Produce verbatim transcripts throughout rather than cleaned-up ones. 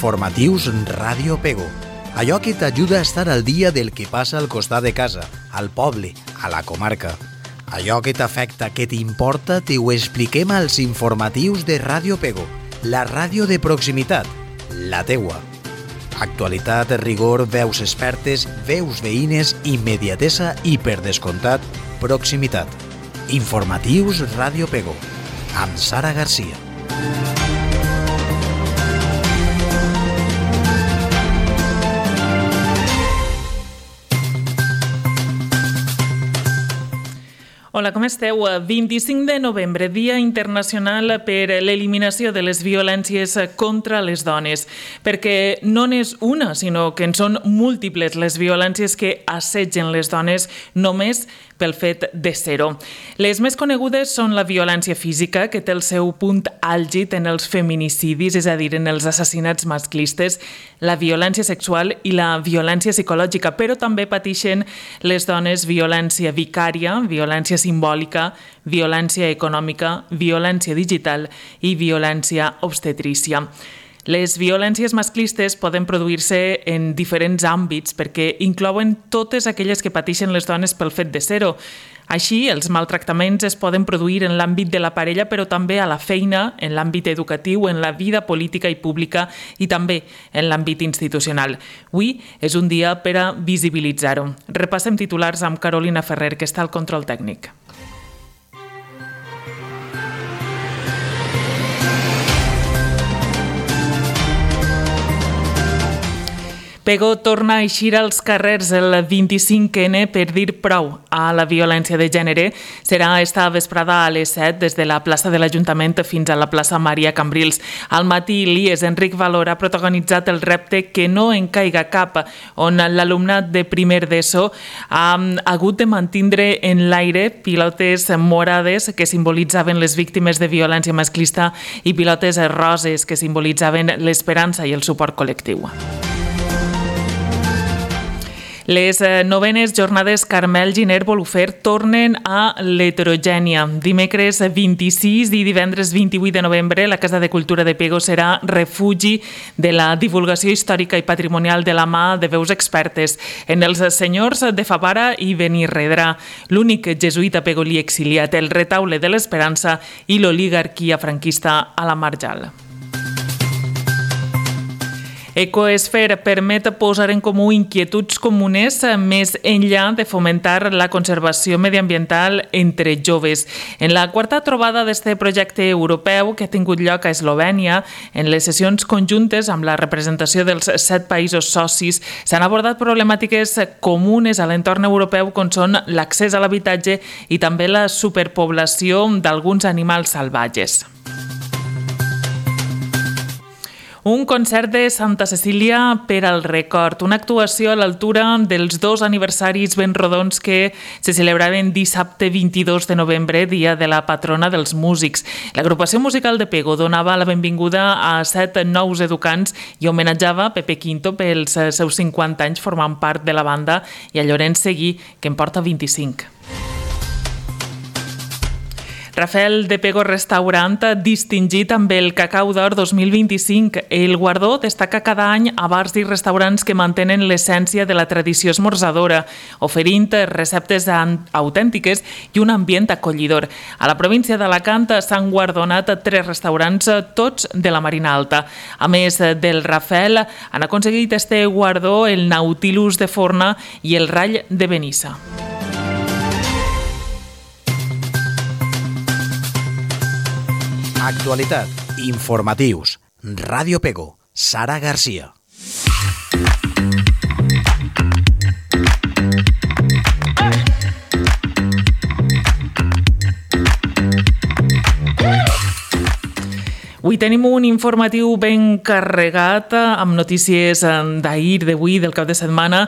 Informatius Ràdio Pego. Allò que t'ajuda a estar al dia del que passa al costat de casa, al poble, a la comarca. Allò que t'afecta, que t'importa, t'ho expliquem als informatius de Ràdio Pego, la ràdio de proximitat, la teua. Actualitat, rigor, veus expertes, veus veïnes, immediatesa i, per descomptat, proximitat. Informatius Ràdio Pego, amb Sara Garcia. Hola, com esteu? vint-i-cinc de novembre, Dia Internacional per l'Eliminació de les Violències contra les Dones, perquè no n'és una, sinó que en són múltiples les violències que assetgen les dones només pel fet de ser-ho. Les més conegudes són la violència física, que té el seu punt àlgid en els feminicidis, és a dir, en els assassinats masclistes, la violència sexual i la violència psicològica, però també pateixen les dones violència vicària, violència simbòlica, violència econòmica, violència digital i violència obstetrícia. Les violències masclistes poden produir-se en diferents àmbits perquè inclouen totes aquelles que pateixen les dones pel fet de ser-ho. Així, els maltractaments es poden produir en l'àmbit de la parella, però també a la feina, en l'àmbit educatiu, en la vida política i pública i també en l'àmbit institucional. Avui és un dia per a visibilitzar-ho. Repassem titulars amb Carolina Ferrer, que està al control tècnic. Pego torna a eixir als carrers el vint-i-cinc ene per dir prou a la violència de gènere. Serà esta vesprada a les set des de la plaça de l'Ajuntament fins a la plaça Maria Cambrils. Al matí, l'I E S Enric Valor ha protagonitzat el repte Que no en caiga cap, on l'alumnat de primer d'ESO ha hagut de mantindre en l'aire pilotes morades que simbolitzaven les víctimes de violència masclista i pilotes roses que simbolitzaven l'esperança i el suport col·lectiu. Les novenes jornades Carmel Giner Bolufer tornen a l'Heterogènia. Dimecres vint-i-sis i divendres vint-i-vuit de novembre la Casa de Cultura de Pego serà refugi de la divulgació històrica i patrimonial de la mà de veus expertes en els senyors de Favara i Benirredrà, l'únic jesuïta pegolí exiliat, el retaule de l'Esperança i l'oligarquia franquista a la Marjal. Ecoesfer permet posar en comú inquietuds comunes més enllà de fomentar la conservació mediambiental entre joves. En la quarta trobada d'este projecte europeu que ha tingut lloc a Eslovènia, en les sessions conjuntes amb la representació dels set països socis, s'han abordat problemàtiques comunes a l'entorn europeu com són l'accés a l'habitatge i també la superpoblació d'alguns animals salvatges. Un concert de Santa Cecília per al record, una actuació a l'altura dels dos aniversaris ben rodons que se celebraven dissabte vint-i-dos de novembre, dia de la patrona dels músics. L'agrupació musical de Pego donava la benvinguda a set nous educants i homenatjava Pepe Quinto pels seus cinquanta anys formant part de la banda i a Llorenç Seguí, que en porta vint-i-cinc. Rafael de Pego Restaurant distingit amb el Cacau d'Or dos mil vint-i-cinc. El guardó destaca cada any a bars i restaurants que mantenen l'essència de la tradició esmorzadora, oferint receptes autèntiques i un ambient acollidor. A la província d'Alacant s'han guardonat tres restaurants, tots de la Marina Alta. A més del Rafael, han aconseguit este guardó el Nautilus de Forna i el Rall de Benissa. Actualitat, informatius, Ràdio Pego, Sara Garcia. Avui tenim un informatiu ben carregat amb notícies d'ahir, d'avui, del cap de setmana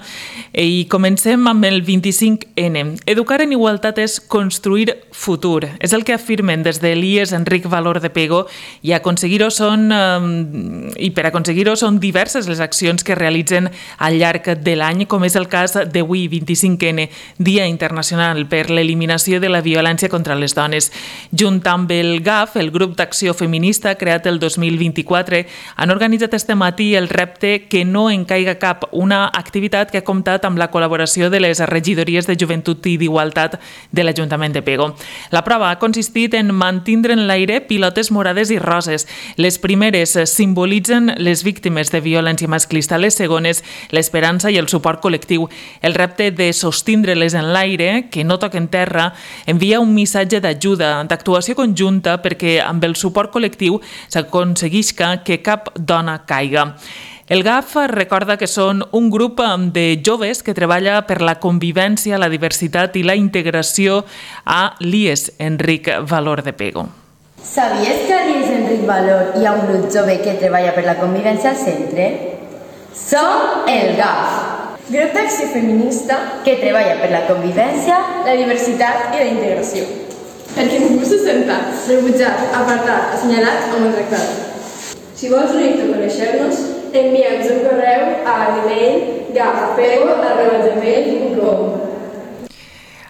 i comencem amb el vint-i-cinc ene. Educar en igualtat és construir futur. És el que afirmen des de l'I E S Enric Valor de Pego i aconseguir-ho són i per aconseguir-ho són diverses les accions que realitzen al llarg de l'any, com és el cas d'avui, vint-i-cinc ene, Dia Internacional per l'Eliminació de la Violència contra les Dones. Junt amb el G A F, el Grup d'Acció Feminista, creat iniciat el dos mil vint-i-quatre, han organitzat este matí el repte Que no en caiga cap, una activitat que ha comptat amb la col·laboració de les regidories de Joventut i d'Igualtat de l'Ajuntament de Pego. La prova ha consistit en mantindre en l'aire pilotes morades i roses. Les primeres simbolitzen les víctimes de violència masclista, les segones l'esperança i el suport col·lectiu. El repte de sostindre-les en l'aire, que no toquen terra, envia un missatge d'ajuda, d'actuació conjunta perquè amb el suport col·lectiu s'aconseguisca que cap dona caiga. El G A F recorda que són un grup de joves que treballa per la convivència, la diversitat i la integració a l'I E S Enric Valor de Pego. Sabies que a l'I E S Enric Valor hi ha un grup jove que treballa per la convivència al centre? Som el G A F, grup d'acció feminista que treballa per la convivència, la diversitat i la integració. Perquè ningú se senta rebutjat, apartat, assenyalat o maltractat. Si vols unir-te a conèixer-nos, envia'ns un correu a l'email gafpego arroba gmail punt com.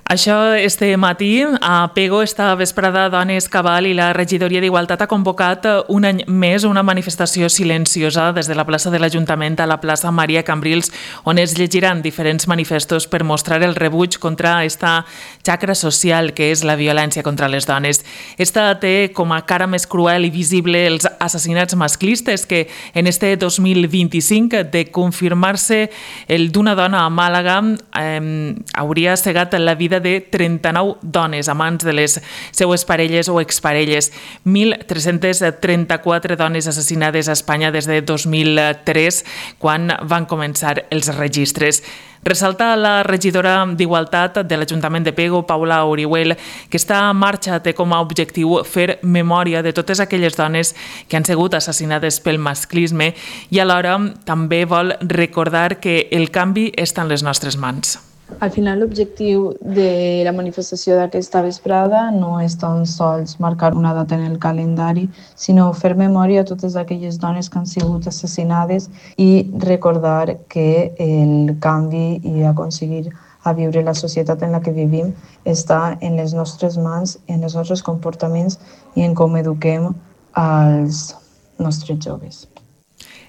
Això este matí a Pego, esta vesprada Dones Cabal i la regidoria d'Igualtat ha convocat un any més una manifestació silenciosa des de la plaça de l'Ajuntament a la plaça Maria Cambrils, on es llegiran diferents manifestos per mostrar el rebuig contra esta xacra social que és la violència contra les dones. Esta té com a cara més cruel i visible els assassinats masclistes que en este dos mil vint-i-cinc, de confirmar-se el d'una dona a Màlaga, eh, hauria cegat la vida de trenta-nou dones, amants de les seues parelles o exparelles. mil tres-cents trenta-quatre dones assassinades a Espanya des de dos mil tres, quan van començar els registres. Ressalta la regidora d'Igualtat de l'Ajuntament de Pego, Paula Orihuel, que esta marxa té com a objectiu fer memòria de totes aquelles dones que han sigut assassinades pel masclisme i alhora també vol recordar que el canvi està en les nostres mans. Al final, l'objectiu de la manifestació d'aquesta vesprada no és tan sols marcar una data en el calendari, sinó fer memòria a totes aquelles dones que han sigut assassinades i recordar que el canvi i aconseguir a viure la societat en la que vivim està en les nostres mans, en els nostres comportaments i en com eduquem als nostres joves.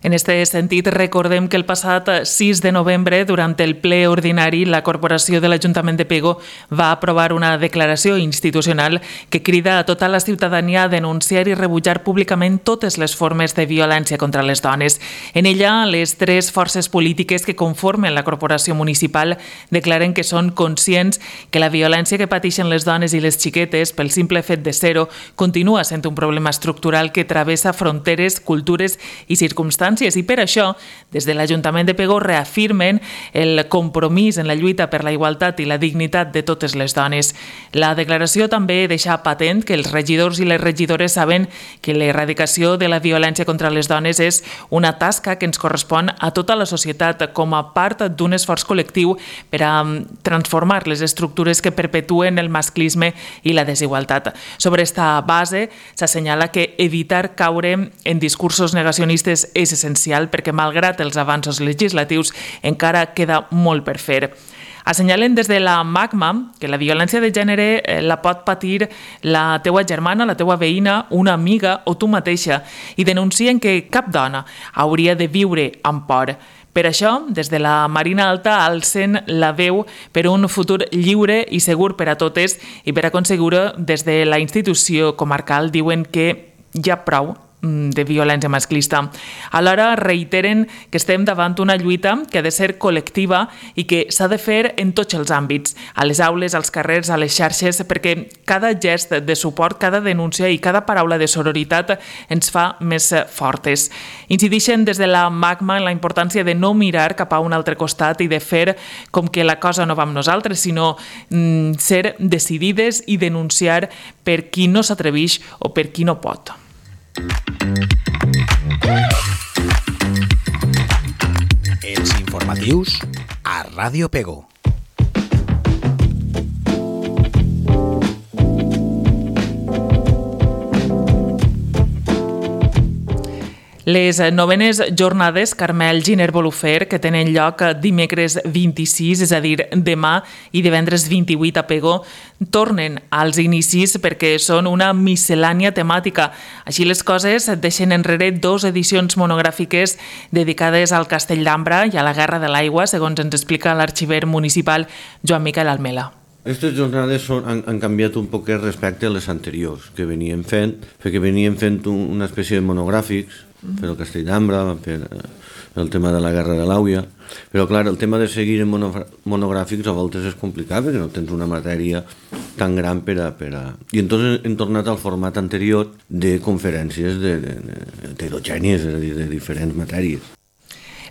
En aquest sentit, recordem que el passat sis de novembre, durant el ple ordinari, la Corporació de l'Ajuntament de Pego va aprovar una declaració institucional que crida a tota la ciutadania a denunciar i rebutjar públicament totes les formes de violència contra les dones. En ella, les tres forces polítiques que conformen la Corporació Municipal declaren que són conscients que la violència que pateixen les dones i les xiquetes, pel simple fet de ser-ho, continua sent un problema estructural que travessa fronteres, cultures i circumstàncies. I per això, des de l'Ajuntament de Pego reafirmen el compromís en la lluita per la igualtat i la dignitat de totes les dones. La declaració també deixa patent que els regidors i les regidores saben que l'erradicació de la violència contra les dones és una tasca que ens correspon a tota la societat com a part d'un esforç col·lectiu per a transformar les estructures que perpetuen el masclisme i la desigualtat. Sobre esta base, s'assenyala que evitar caure en discursos negacionistes és essencial perquè, malgrat els avanços legislatius, encara queda molt per fer. Assenyalen des de la MACMA que la violència de gènere la pot patir la teua germana, la teua veïna, una amiga o tu mateixa i denuncien que cap dona hauria de viure amb por. Per això, des de la Marina Alta alcen la veu per un futur lliure i segur per a totes i per aconseguir-ho des de la institució comarcal diuen que hi ha prou de violència masclista. Alhora reiteren que estem davant una lluita que ha de ser col·lectiva i que s'ha de fer en tots els àmbits, a les aules, als carrers, a les xarxes, perquè cada gest de suport, cada denúncia i cada paraula de sororitat ens fa més fortes. Incideixen des de la MACMA en la importància de no mirar cap a un altre costat i de fer com que la cosa no va amb nosaltres, sinó mm, ser decidides i denunciar per qui no s'atreveix o per qui no pot. Els informatius a Ràdio Pego. Les novenes jornades Carmel Giner Bolufer, que tenen lloc dimecres vint-i-sis, és a dir, demà, i divendres vint-i-vuit a Pego, tornen als inicis perquè són una miscel·lània temàtica. Així les coses deixen enrere dues edicions monogràfiques dedicades al Castell d'Ambra i a la Guerra de l'Aigua, segons ens explica l'arxiver municipal Joan Miquel Almela. Aquestes jornades són, han, han canviat un poquet respecte a les anteriors que veníem fent, perquè veníem fent una espècie de monogràfics per el Castell d'Ambra, per el tema de la Guerra de l'Àuia, però clar, el tema de seguir en monogràfics a voltes és complicat perquè no tens una matèria tan gran per a... Per a... I entonces hem tornat al format anterior de conferències heterogènies, és a dir, de diferents matèries.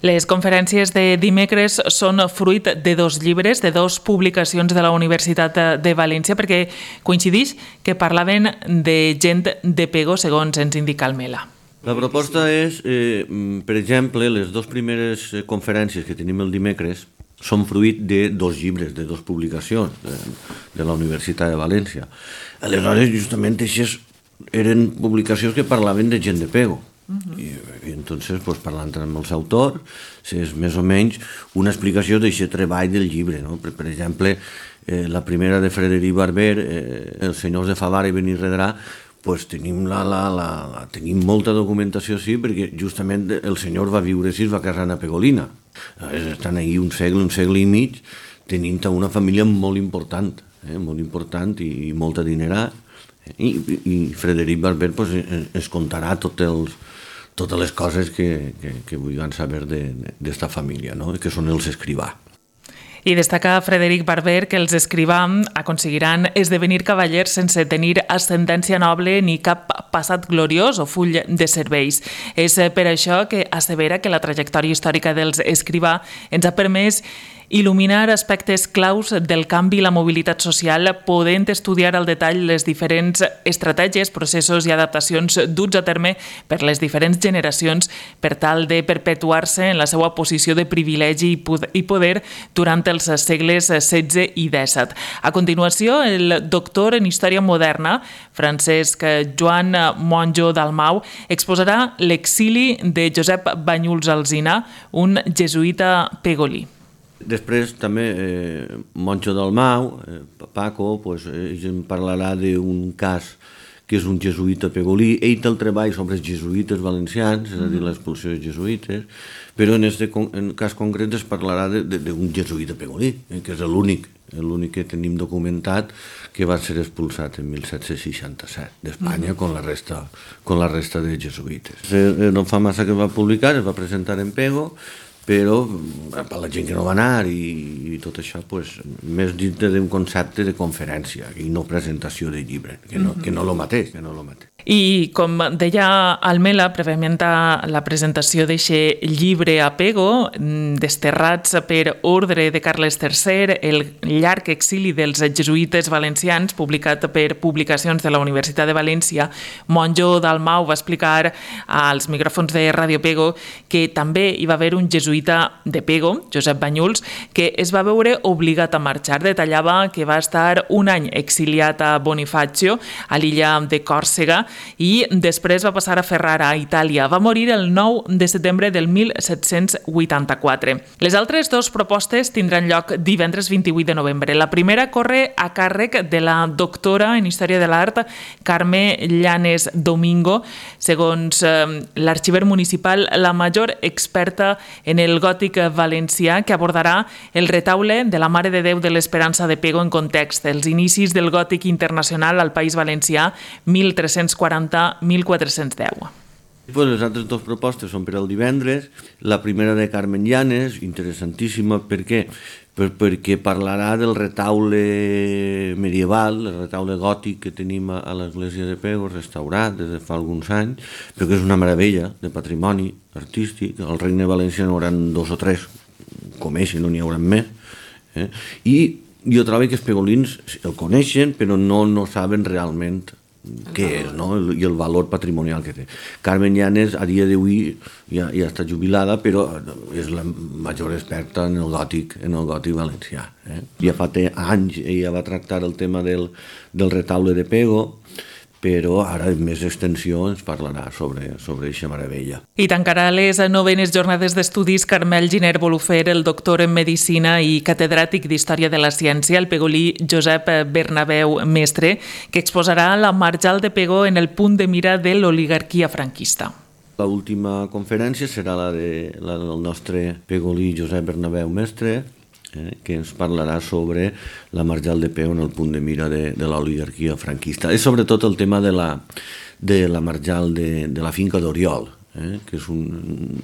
Les conferències de dimecres són fruit de dos llibres, de dues publicacions de la Universitat de València, perquè coincideix que parlaven de gent de Pego, segons ens indica Almela. La proposta és, eh, per exemple, les dues primeres conferències que tenim el dimecres són fruit de dos llibres, de dues publicacions de, de la Universitat de València. Aleshores, justament, aquestes eren publicacions que parlaven de gent de Pego. Uh-huh. I, i entonces, pues, parlant amb els autors, és més o menys una explicació d'aquest treball del llibre, no? Per, per exemple, eh, la primera de Frederic Barber, eh, Els senyors de Favara i Benirredrà, pues, tenim, la, la, la, la, tenim molta documentació, sí, perquè justament el senyor va viure així, va casar a Pegolina. Estan ahí un segle, un segle i mig, tenint una família molt important, eh, molt important i, i molt adinerat. I, i Frederic Barber pues, es contarà tots els, totes les coses que, que, que vulguin saber d'esta família, no? Que són els escrivà. I destaca Frederic Barber que els escrivà aconseguiran esdevenir cavallers sense tenir ascendència noble ni cap passat gloriós o full de serveis. És per això que assevera que la trajectòria històrica dels escrivà ens ha permès il·luminar aspectes claus del canvi i la mobilitat social, podent estudiar al detall les diferents estratègies, processos i adaptacions duts a terme per les diferents generacions per tal de perpetuar-se en la seva posició de privilegi i poder durant els segles setze i disset. A continuació, el doctor en Història Moderna, Francesc Joan Monjo Dalmau, exposarà l'exili de Josep Banyuls Alsina, un jesuïta pegolí. Després també eh, Monjo Dalmau, eh, Paco, pues, ell en parlarà d'un cas que és un jesuïta pegolí. Ell té el treball sobre els jesuïtes valencians, és a dir, l'expulsió dels jesuïtes, però en aquest cas concret es parlarà d'un jesuïta pegolí, eh, que és l'únic, l'únic que tenim documentat que va ser expulsat en mil set-cents seixanta-set d'Espanya mm. con la resta, con la resta de jesuïtes. Eh, no fa massa que va publicar, es va presentar en Pego, però per la gent que no va anar i, i tot això, pues, més dintre d'un concepte de conferència i no presentació de llibre, que no, que no lo mateix, que no lo mateix. I com deia Almela, prèviament a la presentació d'aquest llibre a Pego, Desterrats per ordre de Carles tercer, el llarg exili dels jesuïtes valencians, publicat per publicacions de la Universitat de València, Monjo Dalmau va explicar als micròfons de Ràdio Pego que també hi va haver un jesuïta de Pego, Josep Banyuls, que es va veure obligat a marxar. Detallava que va estar un any exiliat a Bonifacio, a l'illa de Còrsega, i després va passar a Ferrara, a Itàlia. Va morir el nou de setembre del mil set-cents vuitanta-quatre. Les altres dues propostes tindran lloc divendres vint-i-vuit de novembre. La primera corre a càrrec de la doctora en Història de l'Art, Carme Llanes Domingo, segons eh, l'arxiver municipal, la major experta en el gòtic valencià, que abordarà el retaule de la Mare de Déu de l'Esperança de Pego en context, els inicis del gòtic internacional al País Valencià, mil tres-cents quaranta a mil quatre-cents deu. Pues les altres dues propostes són per al divendres. La primera de Carmen Llanes, interessantíssima, per què? Per, perquè parlarà del retaule medieval, el retaule gòtic que tenim a l'església de Pego, restaurat des de fa alguns anys, però que és una meravella de patrimoni artístic. Al Regne Valencià n'hi haurà dos o tres, com ell, no n'hi haurà més. Eh? I jo trobo que els pegolins el coneixen, però no, no saben realment què és, no? I el valor patrimonial que té. Carmen Llanes a dia d'avui ja, ja està jubilada, però és la major experta en el gòtic, en el gòtic valencià. Eh? Ja fa anys ella va tractar el tema del, del retaule de Pego, però ara en més extensió ens parlarà sobre sobre aquesta meravella. I tancarà les novenes jornades d'estudis Carmel Giner Bolufer, el doctor en Medicina i catedràtic d'Història de la Ciència, el pegolí Josep Bernabeu Mestre, que exposarà la Marjal de Pego en el punt de mira de l'oligarquia franquista. L'última conferència serà la, de, la del nostre pegolí Josep Bernabeu Mestre, eh, que ens parlarà sobre la Marjal de Pego en el punt de mira de, de l'oligarquia franquista. És sobretot el tema de la, de la Marjal de, de la finca d'Oriol, eh, que és un,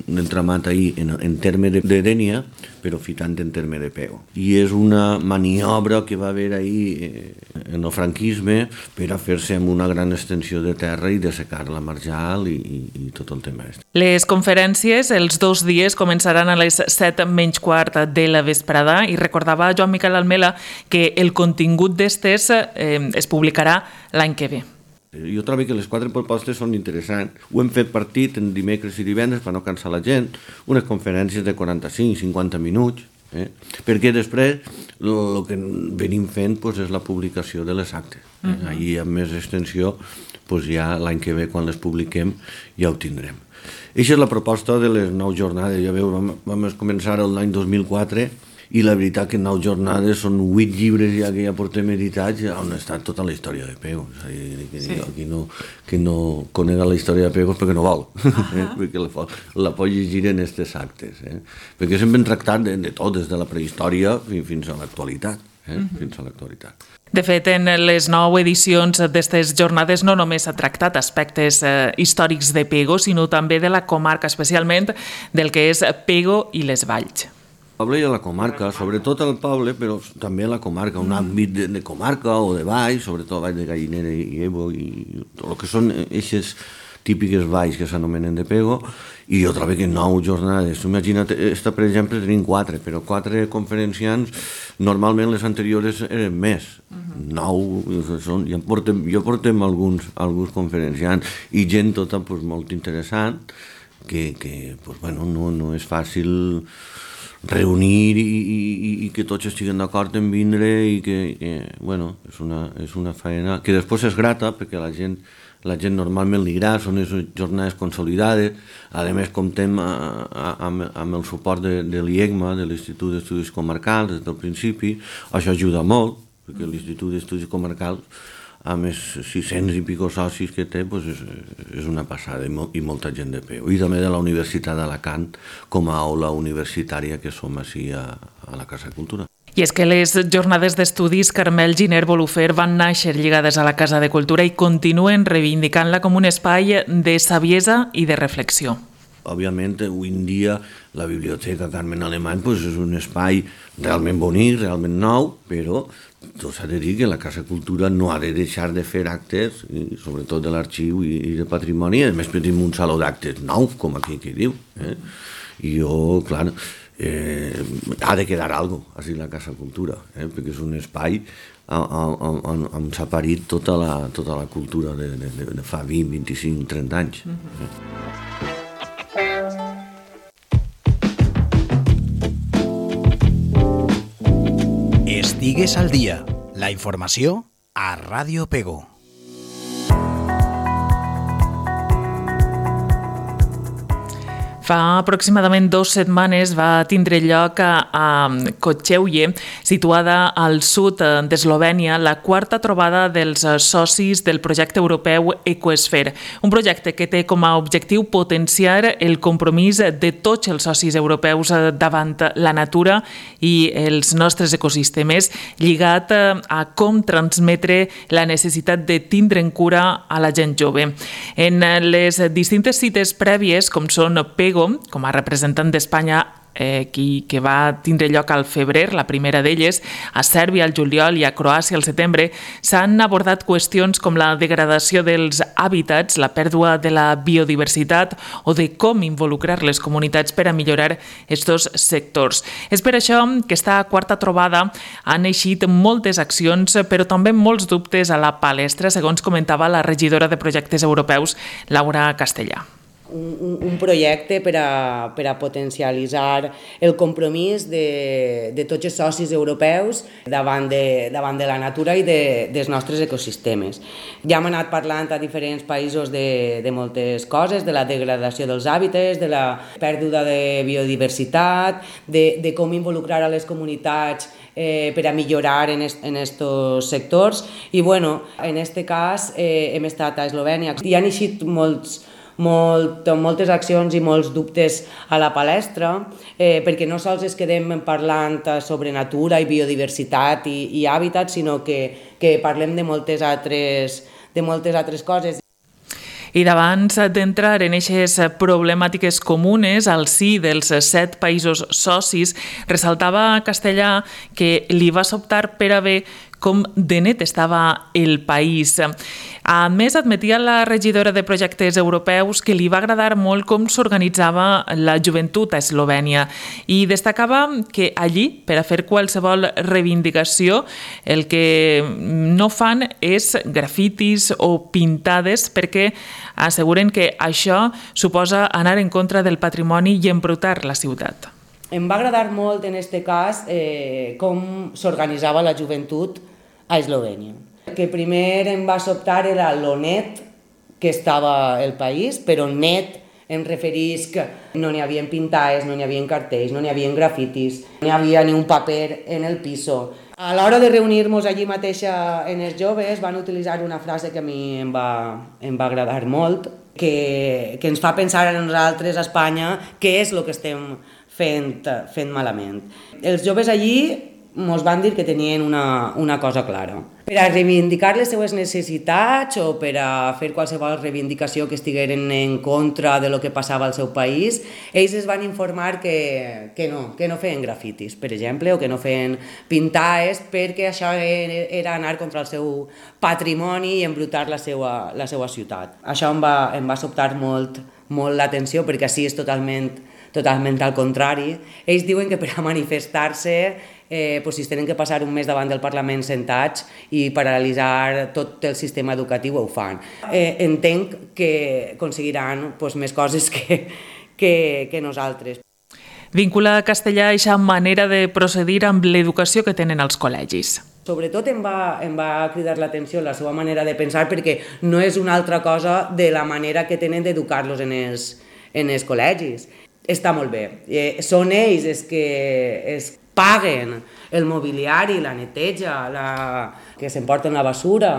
un entramat ahí en, en terme de, de Dénia, però fitant en terme de Pego. I és una maniobra que va haver ahí eh, en el franquisme per a fer-se amb una gran extensió de terra i dessecar la Marjal i, i, i tot el tema. Les conferències, els dos dies, començaran a les set menys quart de la vesprada i recordava Joan Miquel Almela que el contingut d'estes eh, es publicarà l'any que ve. Jo trobo que les quatre propostes són interessants. Ho hem fet partit en dimecres i divendres per no cansar la gent, unes conferències de quaranta-cinc a cinquanta minuts, eh? perquè després el que venim fent pues, és la publicació de les actes. Eh? Uh-huh. Ahir amb més extensió, pues, ja l'any que ve, quan les publiquem, ja ho tindrem. Aquesta és la proposta de les nou jornades. Ja veu, vam, vam començar l'any dos mil quatre i la veritat que en nou jornades són vuit llibres ja que ja portem editats on està tota la història de Pego. És a dir, que sí. Qui no, que no conega la història de Pego és perquè no vol, eh? perquè la, la pot llegir en aquests actes. Eh? Perquè sempre hem tractat de, de tot, des de la prehistòria fins a l'actualitat. Eh? Uh-huh. Fins a l'actualitat. De fet, en les nou edicions d'aquestes jornades no només s'ha tractat aspectes eh, històrics de Pego, sinó també de la comarca, especialment del que és Pego i les Valls. El poble i a la comarca, sobretot al poble, però també a la comarca, un àmbit de, de comarca o de valls, sobretot valls de Gallinera i Evo, i tot el que són aquestes típiques valls que s'anomenen de Pego, i jo trobo que nou jornades. Imagina't, esta, per exemple, tenim quatre, però quatre conferenciants, normalment les anteriors eren més. Uh-huh. Nou, són, ja portem, jo portem alguns, alguns conferenciants, i gent tota pues, molt interessant, que, que pues, bueno, no, no és fàcil reunir i, i, i que tots estiguen d'acord en vindre i que, que bueno, és una, és una feina que després és grata perquè la gent, la gent normalment li agrada, són les jornades consolidades, a més comptem a, a, amb, amb el suport de, de l'I E C M A, de l'Institut d'Estudis Comarcals, des del principi, això ajuda molt, perquè l'Institut d'Estudis Comarcals amb els sis-cents i pico socis que té, doncs és, és una passada i, mo i molta gent de peu. I també de la Universitat d'Alacant com a aula universitària que som així a, a la Casa de Cultura. I és que les jornades d'estudis Carmel Giner Bolufer van néixer lligades a la Casa de Cultura i continuen reivindicant-la com un espai de saviesa i de reflexió. Òbviament, avui en dia, la Biblioteca Carmen Alemany pues, és un espai realment bonic, realment nou, però tot s'ha de dir que la Casa Cultura no ha de deixar de fer actes, i sobretot de l'arxiu i, i de patrimoni, a més tenim un saló d'actes nou, com aquí que diu. Eh? I jo, clar, eh, ha de quedar alguna cosa, així la Casa Cultura, eh? perquè és un espai on, on s'ha parit tota la, tota la cultura de, de, de fa vint, vint-i-cinc, trenta anys. Mm-hmm. eh? Estigues al dia. La informació a Ràdio Pego. Fa aproximadament dues setmanes va tindre lloc a, a Kocheuje, situada al sud d'Eslovènia, la quarta trobada dels socis del projecte europeu Ecosphere, un projecte que té com a objectiu potenciar el compromís de tots els socis europeus davant la natura i els nostres ecosistemes, lligat a com transmetre la necessitat de tindre en cura a la gent jove. En les distintes cites prèvies, com són Pego, com a representant d'Espanya, eh, qui, que va tindre lloc al febrer, la primera d'elles, a Sèrbia al juliol i a Croàcia al setembre, s'han abordat qüestions com la degradació dels hàbitats, la pèrdua de la biodiversitat o de com involucrar les comunitats per a millorar aquests sectors. És per això que esta quarta trobada han eixit moltes accions, però també molts dubtes a la palestra, segons comentava la regidora de projectes europeus, Laura Castellà. un, un projecte per a, per a potencialitzar el compromís de, de tots els socis europeus davant de, davant de la natura i de, dels nostres ecosistemes. Ja hem anat parlant a diferents països de, de moltes coses, de la degradació dels hàbitats, de la pèrdua de biodiversitat, de, de com involucrar a les comunitats Eh, per a millorar en aquests sectors i bueno, en aquest cas eh, hem estat a Eslovènia i han eixit molts, molt, moltes accions i molts dubtes a la palestra eh, perquè no sols es quedem parlant sobre natura i biodiversitat i, i hàbitat, sinó que, que parlem de moltes altres, de moltes altres coses. I d'abans d'entrar en aquestes problemàtiques comunes al si dels set països socis, ressaltava Castellà que li va sobtar per a veure com de net estava el país. A més, admetia la regidora de projectes europeus que li va agradar molt com s'organitzava la joventut a Eslovènia i destacava que allí, per a fer qualsevol reivindicació, el que no fan és grafitis o pintades perquè asseguren que això suposa anar en contra del patrimoni i embrutar la ciutat. Em va agradar molt en aquest cas eh, com s'organitzava la joventut a Eslovènia. El que primer em va sobtar era lo net que estava el país, però net em referís que no n'hi havia pintades, no n'hi havia cartells, no n'hi havia grafitis, no n'hi havia ni un paper en el piso. A l'hora de reunir-nos allí mateixa en els joves van utilitzar una frase que a mi em va, em va agradar molt, que, que ens fa pensar a nosaltres a Espanya què és el que estem fent, fent malament. Els joves allí ens van dir que tenien una, una cosa clara. Per a reivindicar les seues necessitats o per a fer qualsevol reivindicació que estigueren en contra de lo que passava al seu país, ells es van informar que, que no, que no feien grafitis, per exemple, o que no feien pintades, perquè això era anar contra el seu patrimoni i embrutar la seva, la seva ciutat. Això em va, em va sobtar molt, molt l'atenció, perquè així és totalment, totalment al contrari. Ells diuen que per a manifestar-se Eh, pues si es tenen que passar un mes davant del Parlament sentats i paralitzar tot el sistema educatiu, ho fan. Eh, entenc que aconseguiran pues, més coses que, que, que nosaltres. Vincula a Castellà aquesta manera de procedir amb l'educació que tenen els col·legis. Sobretot em va, em va cridar l'atenció la seva manera de pensar perquè no és una altra cosa de la manera que tenen d'educar-los en els, en els col·legis. Està molt bé. Eh, són ells els que es paguen el mobiliari, la neteja, la... que s'emporten la basura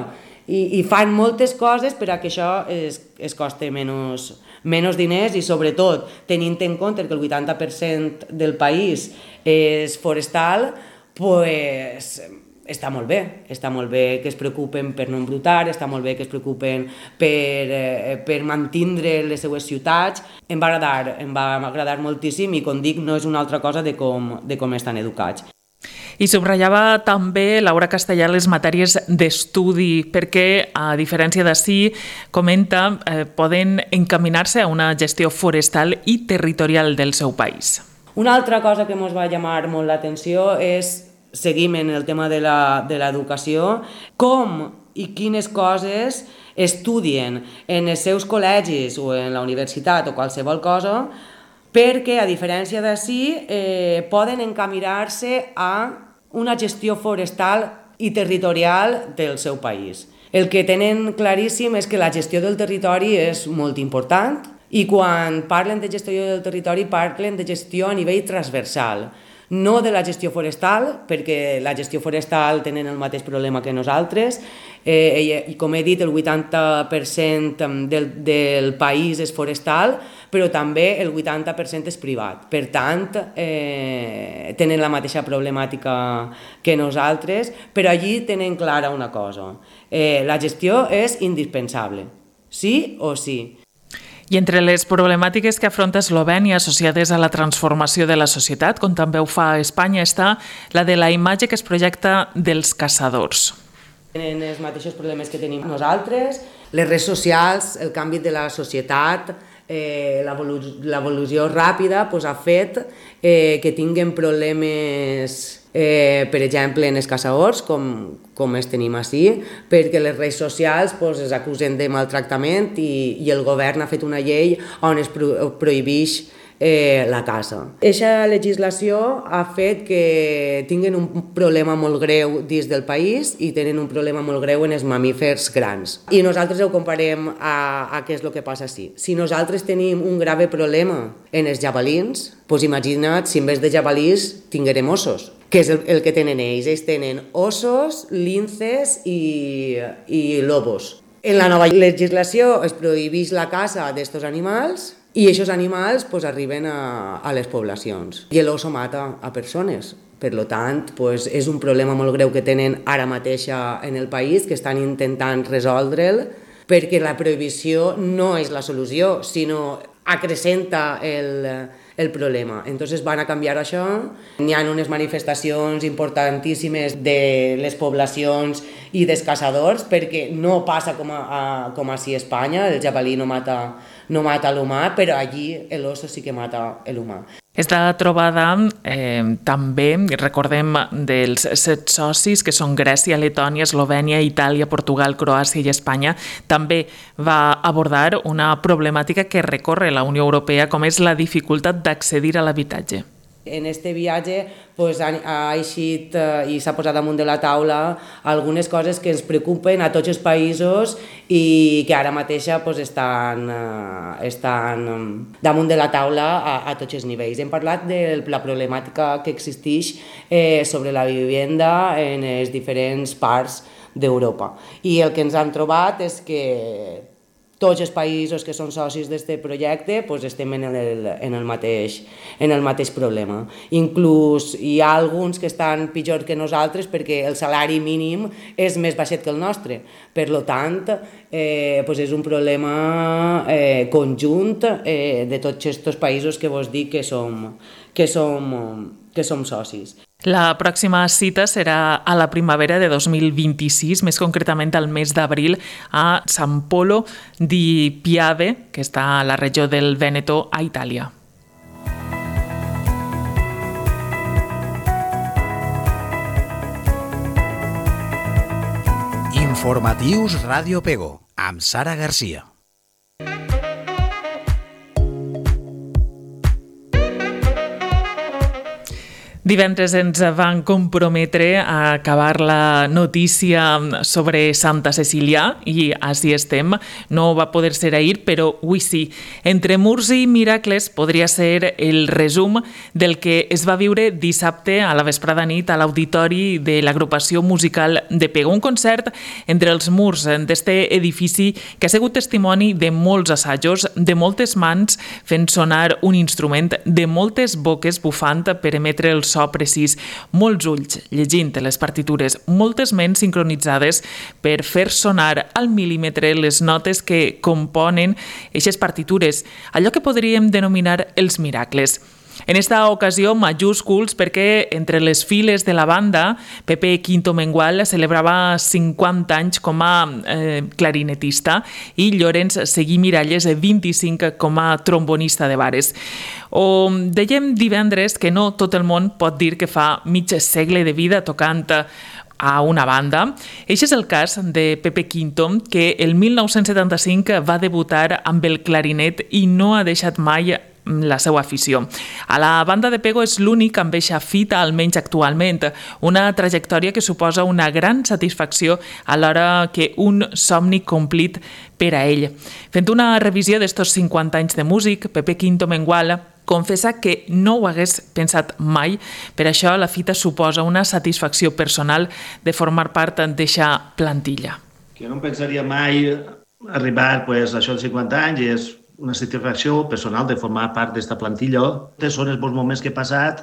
i, i fan moltes coses per a que això es, es costi menys, menys diners i sobretot tenint en compte que el vuitanta per cent del país és forestal, pues, està molt bé, està molt bé que es preocupen per no embrutar, està molt bé que es preocupen per, eh, per mantindre les seues ciutats. Em va agradar, em va agradar moltíssim i, com dic, no és una altra cosa de com, de com estan educats. I subratllava també Laura Castellà les matèries d'estudi perquè, a diferència d'ací, comenta, eh, poden encaminar-se a una gestió forestal i territorial del seu país. Una altra cosa que ens va llamar molt l'atenció és seguim en el tema de l'educació, com i quines coses estudien en els seus col·legis o en la universitat o qualsevol cosa, perquè, a diferència d'ací, eh, poden encaminar-se a una gestió forestal i territorial del seu país. El que tenen claríssim és que la gestió del territori és molt important i quan parlen de gestió del territori parlen de gestió a nivell transversal. No de la gestió forestal, perquè la gestió forestal tenen el mateix problema que nosaltres, eh, i com he dit, el vuitanta per cent del, del país és forestal, però també el vuitanta per cent és privat. Per tant, eh, tenen la mateixa problemàtica que nosaltres, però allí tenen clara una cosa. Eh, la gestió és indispensable, sí o sí. I entre les problemàtiques que afronta Eslovènia associades a la transformació de la societat, com també ho fa a Espanya, està la de la imatge que es projecta dels caçadors. Tenen els mateixos problemes que tenim nosaltres, les redes socials, el canvi de la societat, eh, l'evolució ràpida pues, ha fet eh, que tinguin problemes, eh, per exemple, en els caçadors, com, com els tenim així, perquè les redes socials pues, es acusen de maltractament i, i el govern ha fet una llei on es pro, prohibeix Eh, la caça. Aquesta legislació ha fet que tinguin un problema molt greu dins del país i tenen un problema molt greu en els mamífers grans. I nosaltres ho comparem a, a què és el que passa així. Si nosaltres tenim un grave problema en els jabalins, doncs imagina't si en vez de jabalís tinguérem ossos, que és el, el que tenen ells. Ells tenen ossos, linces i, i lobos. En la nova legislació es prohibeix la caça d'aquests animals i aquests animals pues, arriben a, a les poblacions. I l'oso mata a persones. Per tant, pues, és un problema molt greu que tenen ara mateix en el país, que estan intentant resoldre'l, perquè la prohibició no és la solució, sinó acrecenta el, el problema. Entonces van a canviar això. Hi ha unes manifestacions importantíssimes de les poblacions i dels caçadors, perquè no passa com a, a, com així a Espanya, el jabalí no mata, no mata l'humà, però allí l'oso sí que mata l'humà. Esta trobada eh, també, recordem, dels set socis, que són Grècia, Letònia, Eslovènia, Itàlia, Portugal, Croàcia i Espanya, també va abordar una problemàtica que recorre la Unió Europea, com és la dificultat d'accedir a l'habitatge. En este viatge pues, ha, ha eixit eh, i s'ha posat damunt de la taula algunes coses que ens preocupen a tots els països i que ara mateixa pues, estan, eh, estan damunt de la taula a, a tots els nivells. Hem parlat de la problemàtica que existeix eh, sobre la vivenda en les diferents parts d'Europa. I el que ens han trobat és que tots els països que són socis d'aquest projecte pues, estem en el, en, el mateix, en el mateix problema. Inclús hi ha alguns que estan pitjor que nosaltres perquè el salari mínim és més baixet que el nostre. Per tant, eh, pues és un problema eh, conjunt eh, de tots aquests països que vos dic que som, que som, que som socis. La pròxima cita serà a la primavera de dos mil vint-i-sis, més concretament al mes d'abril, a San Polo di Piave, que està a la regió del Vèneto, a Itàlia. Informatius Ràdio Pego, amb Sara Garcia. Divendres ens van comprometre a acabar la notícia sobre Santa Cecília i així estem. No va poder ser ahir, però avui sí. Entre murs i miracles podria ser el resum del que es va viure dissabte a la vesprada nit a l'auditori de l'agrupació musical de Pego. Un concert entre els murs d'aquest edifici que ha sigut testimoni de molts assajos, de moltes mans fent sonar un instrument, de moltes boques bufant per emetre el so precís, molts ulls llegint les partitures, moltes ments sincronitzades per fer sonar al mil·límetre les notes que componen aquestes partitures, allò que podríem denominar els miracles. En esta ocasió, majúsculs, perquè entre les files de la banda, Pepe Quinto Mengual celebrava cinquanta anys com a eh, clarinetista i Llorenç Seguí Miralles, vint-i-cinc, com a trombonista de bares. O dèiem divendres que no tot el món pot dir que fa mig segle de vida tocant a una banda. Eixe és el cas de Pepe Quinto, que el mil nou-cents setanta-cinc va debutar amb el clarinet i no ha deixat mai la seva afició. A la banda de Pego és l'únic amb eixa fita, almenys actualment, una trajectòria que suposa una gran satisfacció alhora que un somni complit per a ell. Fent una revisió d'estos cinquanta anys de músic, Pepe Quinto Mengual confessa que no ho hagués pensat mai, per això la fita suposa una satisfacció personal de formar part d'eixa plantilla. Que no em pensaria mai arribar pues, a això dels cinquanta anys i és una satisfacció personal de formar part d'esta plantilla. Són els bons moments que he passat,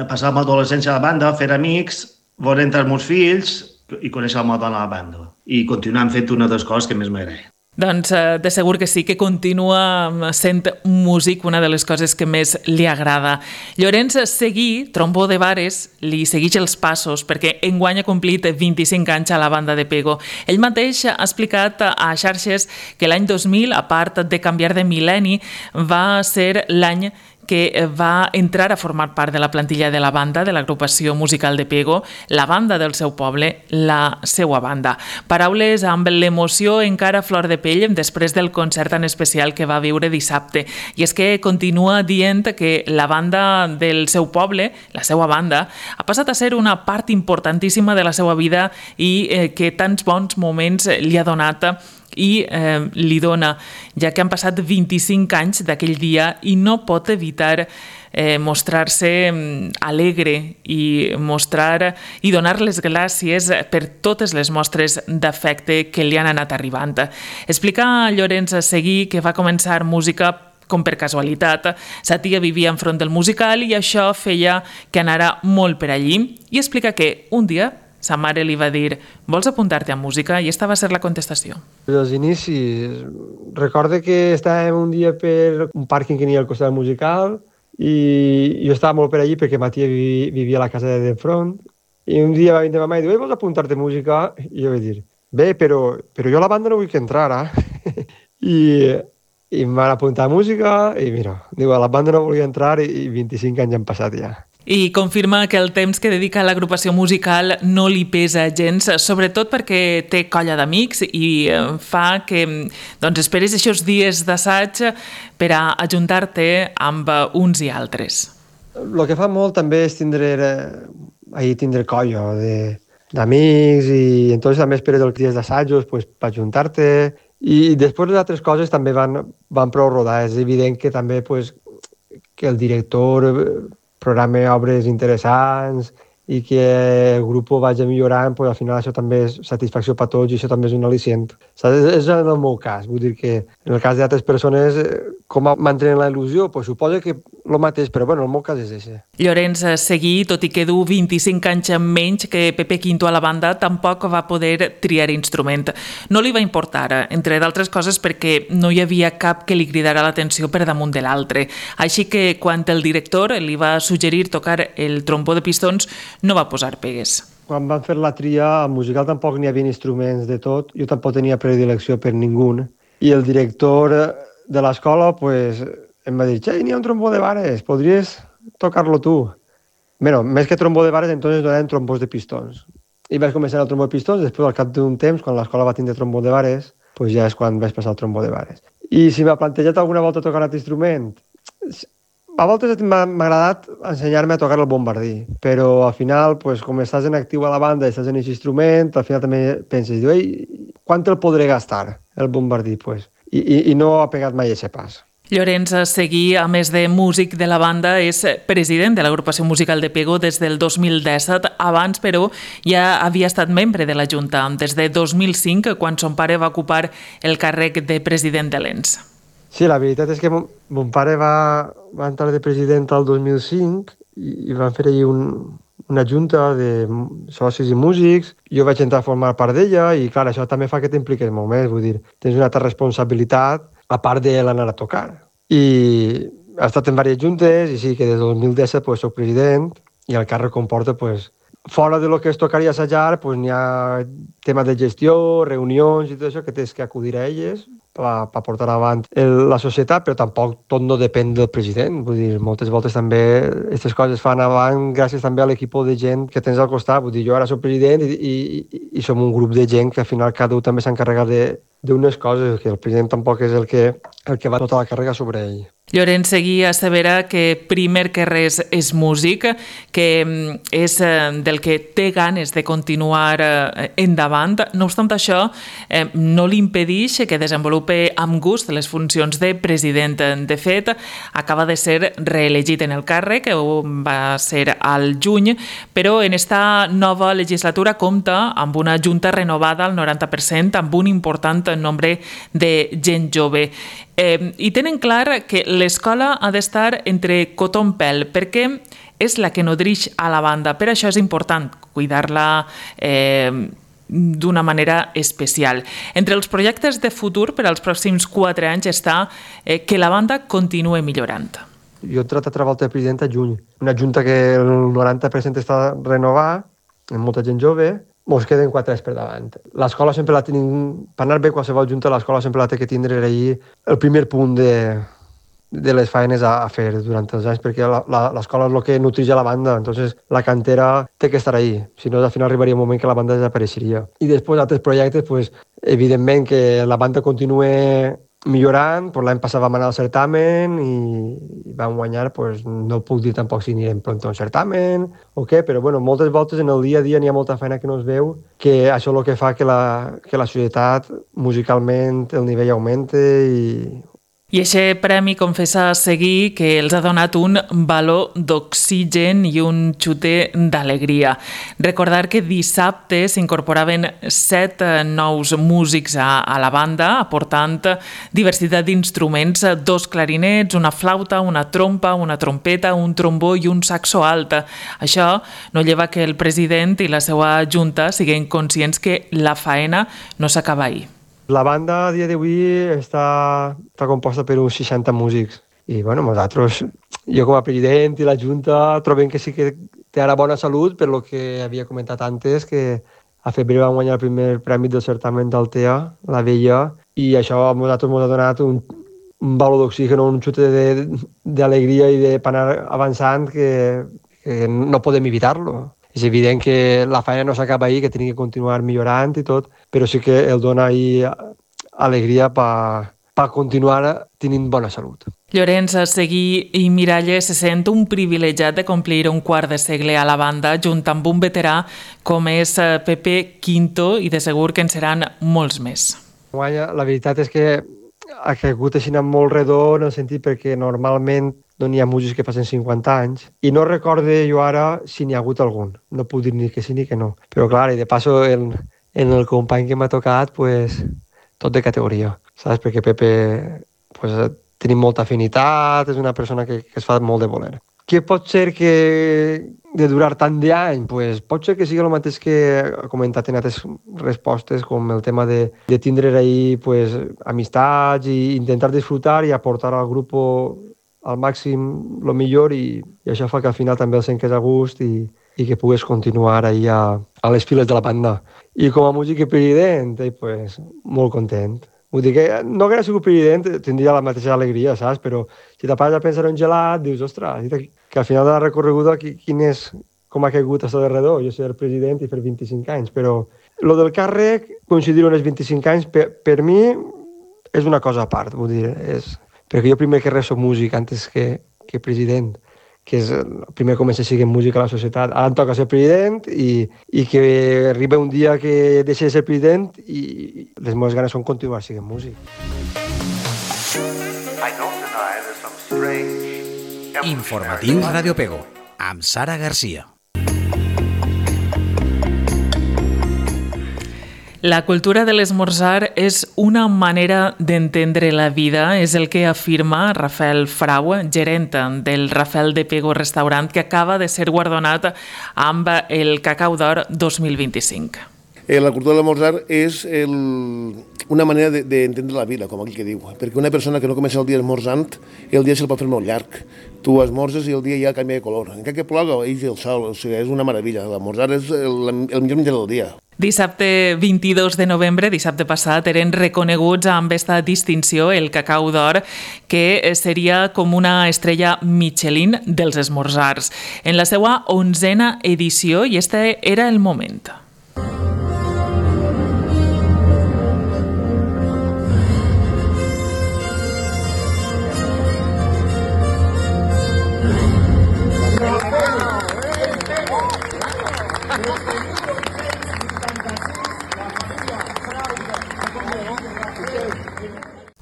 passar amb l'adolescència a la banda, fer amics, veure entrar els meus fills i conèixer la meva dona a la banda. I continuar fent una de les coses que més m'agrada. Doncs eh, de segur que sí, que continua sent músic, una de les coses que més li agrada. Llorenç Seguí, trombó de Vares, li segueix els passos perquè enguany ha complit vint-i-cinc anys a la banda de Pego. Ell mateix ha explicat a xarxes que l'any dos mil, a part de canviar de mil·lenni, va ser l'any que va entrar a formar part de la plantilla de la banda, de l'agrupació musical de Pego, la banda del seu poble, la seua banda. Paraules amb l'emoció encara a flor de pell després del concert tan especial que va viure dissabte. I és que continua dient que la banda del seu poble, la seua banda, ha passat a ser una part importantíssima de la seva vida i eh, que tants bons moments li ha donat i eh, li dona, ja que han passat vint-i-cinc anys d'aquell dia i no pot evitar eh, mostrar-se alegre i mostrar i donar les gràcies per totes les mostres d'afecte que li han anat arribant. Explica Llorenç Seguí que va començar música com per casualitat. Sa tia vivia enfront del musical i això feia que anara molt per allí, i explica que un dia sa mare li va dir: vols apuntar-te a música? I esta va ser la contestació. Als inicis, recorde que estàvem un dia per un pàrquing que n'hi ha al costat del musical i jo estava molt per allí perquè ma tia vivia a la casa de front, i un dia va vindre ma mare i diu: vols apuntar-te a música? I jo vaig dir: bé, però, però jo a la banda no vull que entrar ara. I, i em van apuntar a música i mira, diu, a la banda no volia entrar i vint-i-cinc anys han passat ja. I confirma que el temps que dedica a l'agrupació musical no li pesa gens, sobretot perquè té colla d'amics i fa que doncs, esperes aquests dies d'assaig per a ajuntar-te amb uns i altres. El que fa molt també és tindre, ahir tindre colla d'amics i entonces també esperes els dies d'assajos pues, per ajuntar-te, i després les altres coses també van, van prou rodar. És evident que també pues, que el director programa obres interessants i que el grup vagi millorant, pues, al final això també és satisfacció per tots i això també és un al·licient. És, és en el meu cas, vull dir que en el cas d'altres persones, com mantenen la il·lusió, pues, suposo que el mateix, però bueno, el meu cas és això. Llorenç Seguí, tot i que du vint-i-cinc anys menys que Pepe Quinto a la banda, tampoc va poder triar instrument. No li va importar, entre d'altres coses perquè no hi havia cap que li cridara l'atenció per damunt de l'altre. Així que quan el director li va suggerir tocar el trombó de pistons, no va posar pegues. Quan van fer la tria, al musical tampoc n'hi havia instruments de tot, jo tampoc tenia predilecció per ningú, i el director de l'escola pues, em va dir: «Xai, n'hi ha un trombó de vares, podries tocar-lo tu?» Bueno, més que trombó de vares, entonces donaven trombós de pistons. I vaig començar el trombó de pistons, després al cap d'un temps, quan l'escola va tindre trombó de vares, pues ja és quan vaig passar el trombó de vares. I si m'ha plantejat alguna volta tocar aquest instrument, a voltes m'ha agradat ensenyar-me a tocar el bombardí, però al final, pues, com estàs en actiu a la banda i estàs en aquest instrument, al final també penses, diu, ei, quant el podré gastar, el bombardí? Pues? I, i, I no ha pegat mai aquest pas. Llorenç Seguí, a més de músic de la banda, és president de l'agrupació musical de Pego des del dos mil disset. Abans, però, ja havia estat membre de la Junta, des de dos mil cinc, quan son pare va ocupar el càrrec de president de l'E N S. Sí, la veritat és que mon, mon pare va, va entrar de president al dos mil cinc i, i van fer allí un, una junta de socis i músics. Jo vaig entrar a formar part d'ella i, clar, això també fa que t'impliques molt més. Vull dir, tens una altra responsabilitat a part de l'anar a tocar. I he estat en diverses juntes i sí que des del dos mil disset pues, soc president i el càrrec comporta, pues, fora de lo que es tocar i assajar, pues, n'hi ha temes de gestió, reunions i tot això que tens que acudir a elles per, per portar avant el, la societat, però tampoc tot no depèn del president. Vull dir, moltes voltes també aquestes coses fan avant gràcies també a l'equip de gent que tens al costat. Vull dir, jo ara soc president i, i, i som un grup de gent que al final cada un també s'encarrega d'unes coses, que el president tampoc és el que, el que va tota la càrrega sobre ell. Llorenç Seguí assevera que primer que res és músic, que és del que té ganes de continuar endavant. No obstant això, no li impedeix que desenvolupe amb gust les funcions de president. De fet, acaba de ser reelegit en el càrrec, va ser al juny, però en esta nova legislatura compta amb una junta renovada al noranta per cent, amb un important nombre de gent jove. Eh, I tenen clar que l'escola ha d'estar entre cotó en pèl, perquè és la que nodreix a la banda. Per això és important cuidar-la, eh, d'una manera especial. Entre els projectes de futur per als pròxims quatre anys està eh, que la banda continue millorant. Jo he entrat a treballar de president a juny. Una junta que el noranta per cent està renovar, amb molta gent jove, mos queden quatre anys per davant. L'escola sempre la tenim, per anar bé qualsevol junta, l'escola sempre la té que tindre ahir el primer punt de, de les feines a, a fer durant els anys, perquè l'escola és el que nutreix a la banda, entonces la cantera té que estar ahí, si no al final arribaria un moment que la banda desapareixeria. I després altres projectes, pues, evidentment que la banda continue millorant, pues l'any passat vam anar al certamen i, i vam guanyar, pues, no puc dir tampoc si anirem pront a un certamen o què, però bueno, moltes voltes en el dia a dia n'hi ha molta feina que no es veu, que això és el que fa que la, que la societat musicalment el nivell augmente i... I aquest premi confessa a seguir que els ha donat un baló d'oxigen i un xute d'alegria. Recordar que dissabte s'incorporaven set nous músics a, a la banda, aportant diversitat d'instruments, dos clarinets, una flauta, una trompa, una trompeta, un trombó i un saxo alt. Això no lleva que el president i la seva junta siguin conscients que la faena no s'acaba ahir. La banda a dia d'avui està, està composta per uns seixanta músics. I bueno, nosaltres, jo com a president i la Junta, trobem que sí que té ara bona salut, per lo que havia comentat antes, que a febrer vam guanyar el primer premi del certamen d'Altea, la Vella, i això a nosaltres ens ha donat un, un baló d'oxigen, un xute d'alegria i de per anar avançant que, que no podem evitar-lo. És evident que la feina no s'acaba ahir, que tenim que continuar millorant i tot, però sí que el dona ahir alegria per pa continuar tenint bona salut. Llorenç Seguí i Miralles se sent un privilegiat de complir un quart de segle a la banda junt amb un veterà com és Pepe Quinto i de segur que en seran molts més. La veritat és que ha caigut així molt redó en el sentit perquè normalment no n'hi ha músics que passen cinquanta anys i no recorde jo ara si n'hi ha hagut algun. No puc dir ni que sí ni que no. Però clar, i de passo en, en el company que m'ha tocat, pues, tot de categoria, saps? Perquè Pepe pues, tenim molta afinitat, és una persona que, que es fa molt de voler. Què pot ser que de durar tant d'any? Pues, pot ser que sigui el mateix que he comentat en altres respostes, com el tema de, de tindre ahí pues, amistats i intentar disfrutar i aportar al grup al màxim el millor i, i això fa que al final també el sentis a gust i, i que pugues continuar ahí a, a les files de la banda. I com a músic i president, eh, pues, molt content. Vull dir que no que hagués sigut president tindria la mateixa alegria, saps? Però si te pares a pensar en un gelat, dius, ostres, que al final de la recorreguda quin és, com ha caigut això de redó? Jo ser el president i fer vint-i-cinc anys, però lo del càrrec, coincidir en els vint-i-cinc anys, per, per mi és una cosa a part, vull dir, és... perquè jo primer que res soc músic antes que, que president, que és el primer comença a seguir música a la societat. Ara em toca ser president i, i que arriba un dia que deixi de ser president i les meves ganes són continuar sent músic. Informatius Radio Pego, amb Sara Garcia. La cultura de l'esmorzar és una manera d'entendre la vida, és el que afirma Rafael Frau, gerent del Rafael de Pego Restaurant, que acaba de ser guardonat amb el Cacau d'Or dos mil vint-i-cinc. La cultura de l'esmorzar és el, una manera d'entendre de, la vida, com aquell que diu, perquè una persona que no comença el dia esmorzant, el dia se'l pot fer molt llarg. Tu esmorzes i el dia ja canvia de color. Encara que ploga, ix el sol, o sigui, és una meravella. L'esmorzar és el, el millor menjar del dia. Dissabte vint-i-dos de novembre, dissabte passat, eren reconeguts amb aquesta distinció el Cacau d'Or, que seria com una estrella Michelin dels esmorzars. En la seva onzena edició, i este era el moment.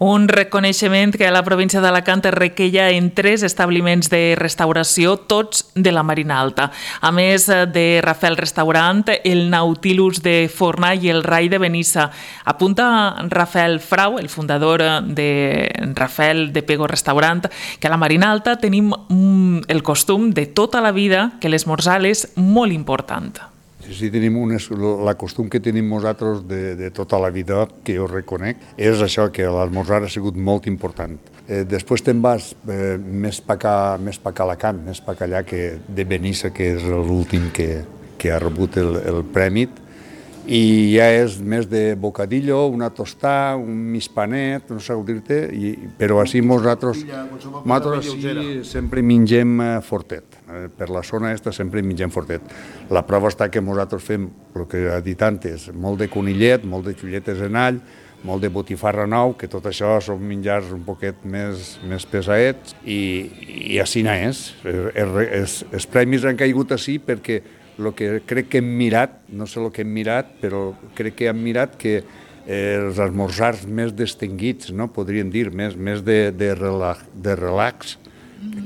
Un reconeixement que a la província d'Alacant es requeia en tres establiments de restauració, tots de la Marina Alta. A més de Rafael Restaurant, el Nautilus de Forna i el Rai de Benissa. Apunta Rafael Frau, el fundador de Rafael de Pego Restaurant, que a la Marina Alta tenim el costum de tota la vida que l'esmorzar és molt important. si tenim un, la costum que tenim nosaltres de, de tota la vida, que jo reconec, és això, que l'esmorzar ha sigut molt important. Eh, després te'n vas eh, més pa acá, més pa acá a Alacant, més pa acá allà que de Benissa, que és l'últim que, que ha rebut el, el premi, i ja és més de bocadillo, una tostà, un mispanet, no sé com dir-te, però així nosaltres, nosaltres així sempre mengem fortet. Per la zona aquesta sempre mengem fortet. La prova està que nosaltres fem, el que he dit antes, molt de conillet, molt de xulletes en all, molt de botifarra nou, que tot això són menjars un poquet més, més pesaets, i, i així no és. Els, els premis han caigut així perquè el que crec que hem mirat, no sé el que hem mirat, però crec que hem mirat que eh, els esmorzars més distinguits, no? Podríem dir, més, més de, de, relax, de relax,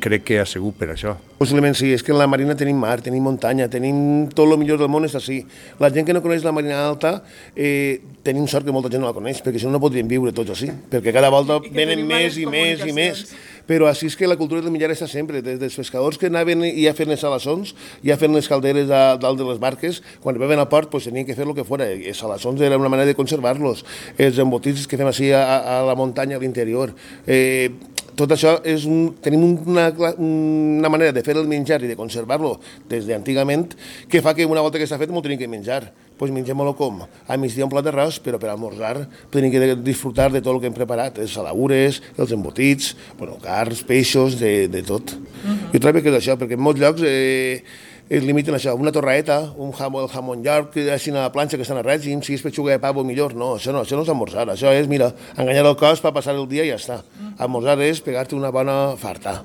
crec que ha sigut per això. Possiblement sí, és que en la Marina tenim mar, tenim muntanya, tenim tot el millor del món és així. La gent que no coneix la Marina Alta, eh, tenim sort que molta gent no la coneix, perquè si no no podríem viure tots així, perquè cada volta venen més i més i més. Però així és que la cultura del menjar està sempre, des dels pescadors que anaven ja fent les salassons, ja fent les calderes a dalt de les barques, quan arribaven al port pues, tenien que fer el que fora, els salassons era una manera de conservar-los, els embotits que fem així a, a la muntanya, a l'interior. Eh, tot això és un, tenim una, una manera de fer el menjar i de conservar-lo des d'antigament que fa que una volta que està fet m'ho tenim que menjar. Doncs pues mengem-lo com? A migdia un plat d'arròs, però per almorzar tenim que disfrutar de tot el que hem preparat, els saladures, els embotits, bueno, carns, peixos, de, de tot. Uh-huh. Jo trobo que és això, perquè en molts llocs eh, es limiten a això, una torraeta, un jamón, el jamón york, així a la planxa que estan a règim, si és pechuga de pavo millor, no, això no, això no és almorzar, això és, mira, enganyar el cos per passar el dia i ja està. Almorzar és pegar-te una bona farta.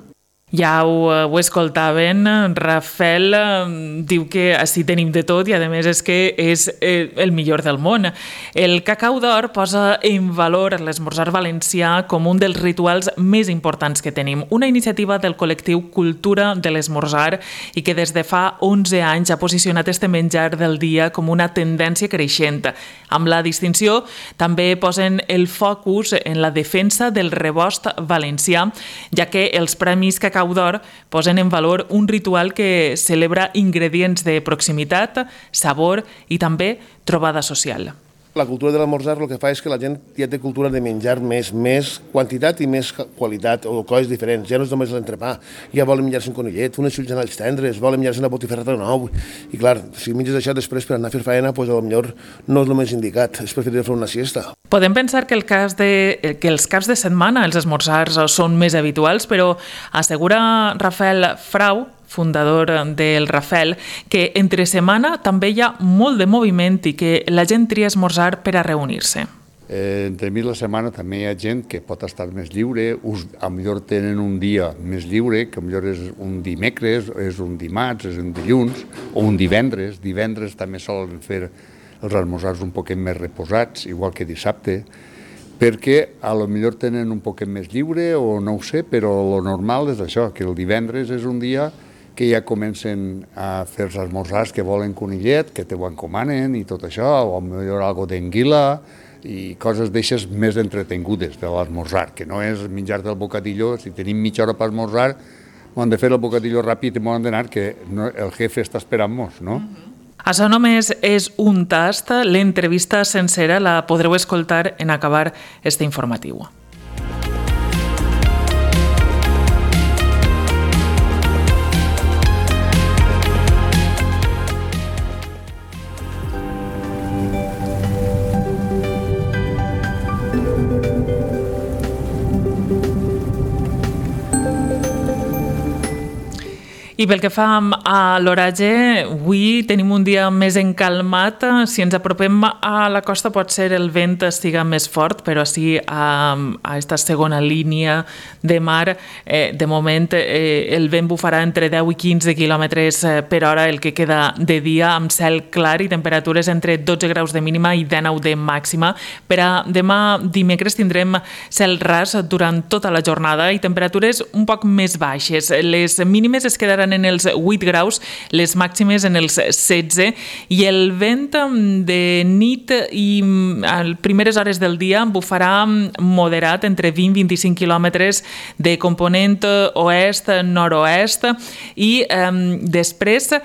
Ja ho, ho escoltaven, Rafael eh, diu que així tenim de tot i a més és que és eh, el millor del món. El Cacau d'Or posa en valor l'esmorzar valencià com un dels rituals més importants que tenim, una iniciativa del col·lectiu Cultura de l'Esmorzar i que des de fa onze anys ha posicionat este menjar del dia com una tendència creixent. Amb la distinció també posen el focus en la defensa del rebost valencià, ja que els premis Cacau d'Or posen en valor un ritual que celebra ingredients de proximitat, sabor i també trobada social. La cultura de l'esmorzar el que fa és que la gent ja té cultura de menjar més, més quantitat i més qualitat, o coses diferents. Ja no és només l'entrepà, ja volen menjar-se un conillet, unes xulles en alls tendres, volen menjar-se una botifarrata nou. I clar, si menges això després per anar a fer faena, doncs potser no és el més indicat, és preferir fer una siesta. Podem pensar que, el cas de, que els caps de setmana els esmorzars són més habituals, però assegura Rafael Frau, fundador del Rafel, que entre setmana també hi ha molt de moviment i que la gent tria esmorzar per a reunir-se. Eh, entre mi la setmana també hi ha gent que pot estar més lliure, us, a millor tenen un dia més lliure, que a millor és un dimecres, és un dimarts, és un dilluns, o un divendres. Divendres també solen fer els esmorzars un poquet més reposats, igual que dissabte, perquè a lo millor tenen un poquet més lliure, o no ho sé, però lo normal és això, que el divendres és un dia que ja comencen a fer els esmorzars que volen conillet, que te ho encomanen i tot això, o millor algo d'anguila i coses d'aixes més entretengudes de l'esmorzar, que no és menjar del bocadillo. Si tenim mitja hora per esmorzar, hem de fer el bocadillo ràpid i hem d'anar, que no, el jefe està esperant-nos, no? Això només és un tast. L'entrevista sencera la podreu escoltar en acabar este informatiu. I pel que fa a l'oratge, avui tenim un dia més encalmat. Si ens apropem a la costa pot ser el vent estiga més fort, però sí a, a esta segona línia de mar, eh, de moment eh, el vent bufarà entre deu i quinze quilòmetres per hora, el que queda de dia, amb cel clar i temperatures entre dotze graus de mínima i dinou de màxima. Per a demà dimecres tindrem cel ras durant tota la jornada i temperatures un poc més baixes. Les mínimes es quedaran en els vuit graus, les màximes en els setze, i el vent de nit i a primeres hores del dia bufarà moderat entre vint i vint-i-cinc quilòmetres de component oest-nord-oest, i eh, després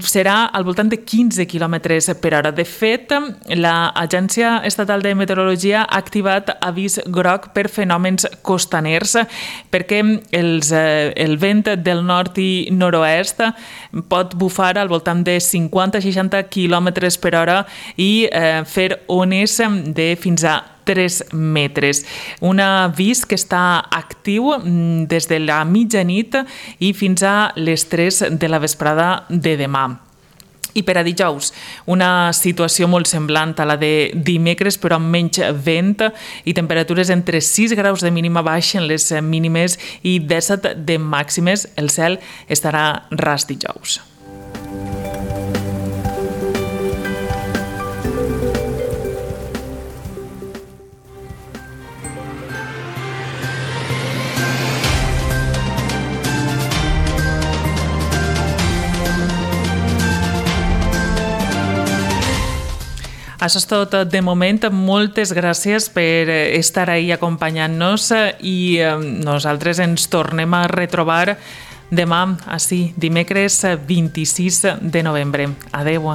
serà al voltant de quinze quilòmetres per hora. De fet, l'Agència Estatal de Meteorologia ha activat avís groc per fenòmens costaners perquè els, el vent del nord i nord-oest pot bufar al voltant de cinquanta a seixanta quilòmetres per hora i eh, fer ones de fins a tres metres. Un avís que està actiu des de la mitjanit i fins a les tres de la vesprada de demà. I per a dijous, una situació molt semblant a la de dimecres, però amb menys vent i temperatures entre sis graus de mínima, baixen les mínimes i disset de màximes. El cel estarà ras dijous. Això és tot de moment. Moltes gràcies per estar ahí acompanyant-nos i nosaltres ens tornem a retrobar demà, així, dimecres vint-i-sis de novembre. Adéu.